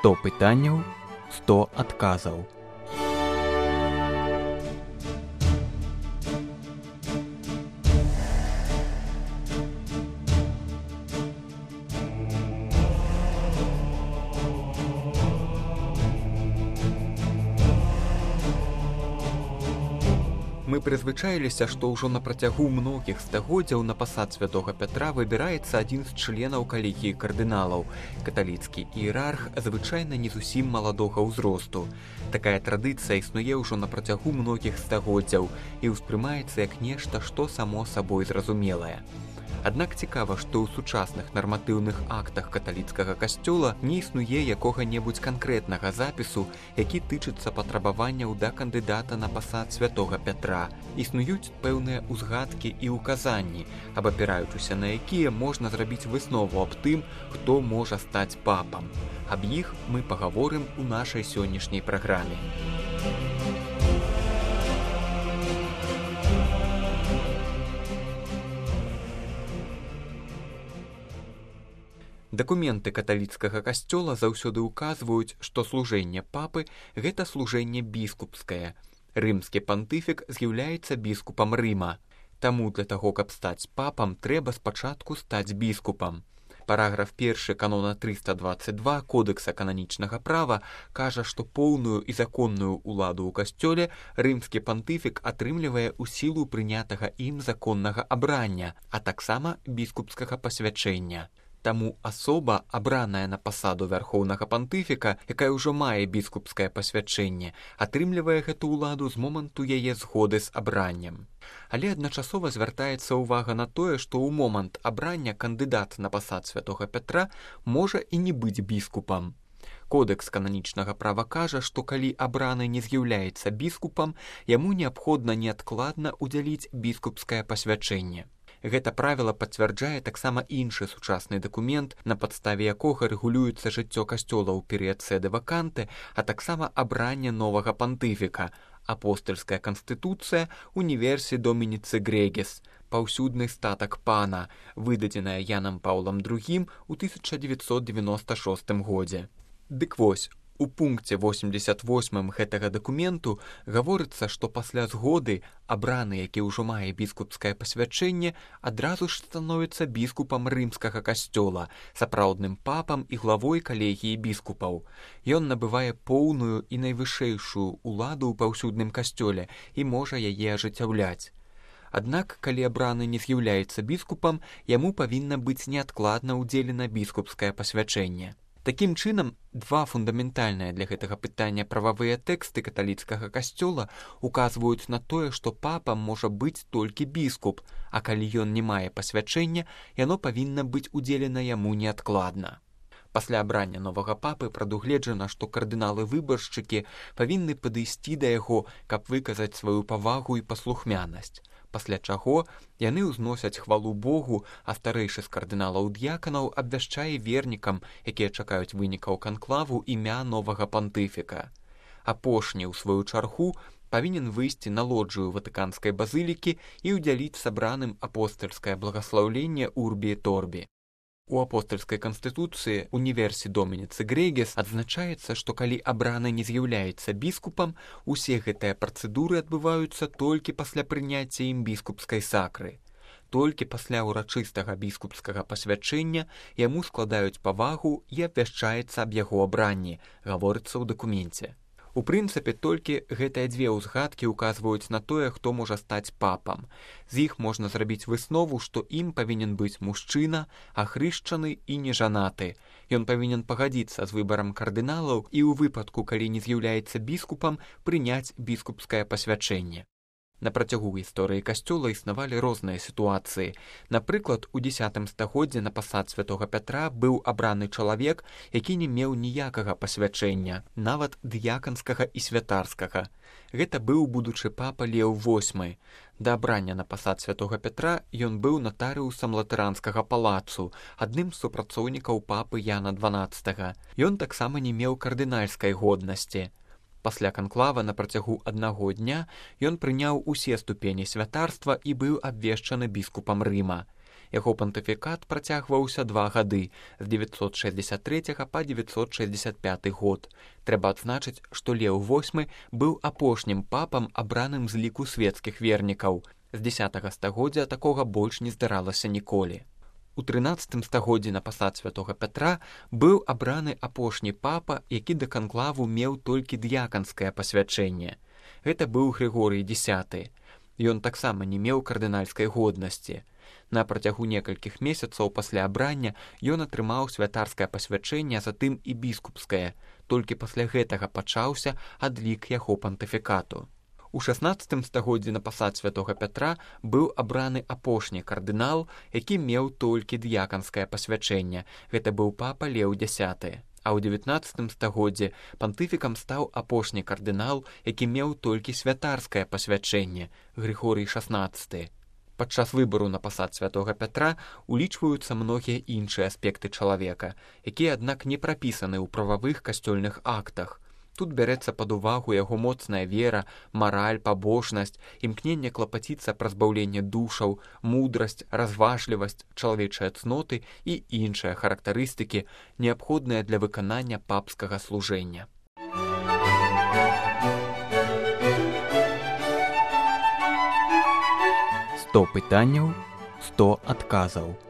100 пытанняў, 100 адказаў. Мы прызвычаіліся, што ўжо на працягу многіх стагоддзяў на пасад святога Пятра выбіраецца адзін з членаў калегіі кардыналаў. Каталіцкі іерарх звычайна не зусім маладога ўзросту. Такая традыцыя існуе ўжо на працягу многіх стагоддзяў і ўспрымаецца як нешта, што само сабой зразумелае. Аднак цікава, што ў сучасных нарматыўных актах каталіцкага касцёла не існуе якога-небудзь канкрэтнага запісу, які тычыцца патрабаванняў да кандыдата на пасад святога Пятра. Існуюць пэўныя ўзгадкі і ўказанні, абапіраючыся на якія можна зрабіць выснову аб тым, хто можа стаць папам. Аб іх мы пагаворым у нашай сённяшняй праграме. Дакументы каталіцкага касцёла заўсёды ўказваюць, што служэнне папы – гэта служэнне біскупскае. Рымскі пантыфік з'яўляецца біскупам Рыма. Таму для таго, каб стаць папам, трэба спачатку стаць біскупам. Параграф 1 канона 322 Кодекса кананічнага права кажа, што поўную і законную ўладу ў касцёле рымскі пантыфік атрымлівае ў сілу прынятага ім законнага абрання, а таксама біскупскага пасвячэння. Таму асоба, абраная на пасаду вярхоўнага пантыфіка, якая ўжо мае біскупскае пасвячэнне, атрымлівае гэту ўладу з моманту яе згоды з абраннем. Але адначасова звяртаецца ўвага на тое, што ў момант абрання кандыдат на пасад святога Пятра можа і не быць біскупам. Кодекс кананічнага права кажа, што калі абраны не з'яўляецца біскупам, яму неабходна неадкладна ўдзяліць біскупскае пасвячэнне. Гэта правіла пацвярджае таксама іншы сучасны дакумент, на падставе якога рэгулюецца жыццё касцёла ў перыяд сэды ваканты, а таксама абранне новага пантыфіка – апостальская канстытуцыя Universi Dominici Gregis, паўсюдны статак пана, выдадзеная Янам Паўлам II у 1996 годзе. Дык вось, у пункце 88 гэтага дакументу гаворыцца, што пасля згоды абраны, які ўжо мае біскупскае пасвячэнне, адразу ж становіцца біскупам рымскага касцёла, сапраўдным папам і главой калегіі біскупаў. Ён набывае поўную і найвышэйшую ўладу ў паўсюдным касцёле і можа яе ажыццяўляць. Аднак, калі абраны не з'яўляецца біскупам, яму павінна быць неадкладна ўдзелена біскупскае пасвячэнне. Такім чынам, два фундаментальныя для гэтага пытання прававыя тэксты каталіцкага касцёла указваюць на тое, што папам можа быць толькі біскуп, а калі ён не мае пасвячэння, яно павінна быць удзелена яму неадкладна. Пасля абрання новага папы прадугледжана, што кардыналы-выбаршчыкі павінны падысці да яго, каб выказаць сваю павагу і паслухмянасць. Пасля чаго яны ўзносяць хвалу Богу, а старэйшы з кардыналаў-д'яканаў абвяшчае вернікам, якія чакаюць вынікаў канклаву, імя новага пантыфіка. Апошні, у сваю чаргу, павінен выйсці на лоджыю ватыканскай базылікі і ўдзяліць сабраным апостальскае благаслаўленне Урбі і Торбі. У апостальскай канстытуцыі Universi Dominici Gregis адзначаецца, што калі абраны не з'яўляецца біскупам, усе гэтыя працэдуры адбываюцца толькі пасля прыняцця ім біскупскай сакры. Толькі пасля ўрачыстага біскупскага пасвячэння яму складаюць павагу і абвяшчаецца аб яго абранні, гаворыцца ў дакуменце. У прынцыпе, толькі гэтыя дзве ўзгадкі ўказваюць на тое, хто можа стаць папам. З іх можна зрабіць выснову, што ім павінен быць мужчына, ахрышчаны і нежанаты. Ён павінен пагадзіцца з выбарам кардыналаў і ў выпадку, калі не з'яўляецца біскупам, прыняць біскупскае пасвячэнне. На працягу гісторыі касцёла існавалі розныя сітуацыі. Напрыклад, у 10 стагоддзі на пасад святога Пятра быў абраны чалавек, які не меў ніякага пасвячэння, нават д'яканскага і святарскага. Гэта быў будучы папа Леў VIII. Да абрання на пасад святога Пятра ён быў натарыусам латаранскага палацу, адным з супрацоўнікаў папы Яна XII. Ён таксама не меў кардынальскай годнасці. Пасля канклава на працягу аднаго дня ён прыняў усе ступені святарства і быў абвешчаны біскупам Рыма. Яго пантыфікат працягваўся 2 гады, з 963 па 965 год. Трэба адзначыць, што Леў VIII быў апошнім папам, абраным з ліку светскіх вернікаў. З 10 стагоддзя такога больш не здаралася ніколі. У 13 стагоддзі на пасад святога Пятра быў абраны апошні папа, які да канклаву меў толькі д'яканскае пасвячэнне. Гэта быў Грыгорый X. Ён таксама не меў кардынальскай годнасці. На працягу некалькіх месяцаў пасля абрання ён атрымаў святарскае пасвячэнне, а затым і біскупскае. Толькі пасля гэтага пачаўся адлік яго пантыфікату. У 16 стагоддзі на пасад святога Пятра быў абраны апошні кардынал, які меў толькі д'яканскае пасвячэнне. Гэта быў папа Леў X. А ў 19 стагоддзі пантыфікам стаў апошні кардынал, які меў толькі святарскае пасвячэнне, Грыгорый XVI. Падчас выбару на пасад святога Пятра улічваюцца многія іншыя аспекты чалавека, якія, аднак, не прапісаны ў прававых касцёльных актах. Тут бярэцца пад увагу яго моцная вера, мараль, пабожнасць, імкненне клапаціцца пра збаўленне душаў, мудрасць, разважлівасць, чалавечыя цноты і іншыя характарыстыкі, неабходныя для выканання папскага служэння. 100 пытанняў, 100 адказаў.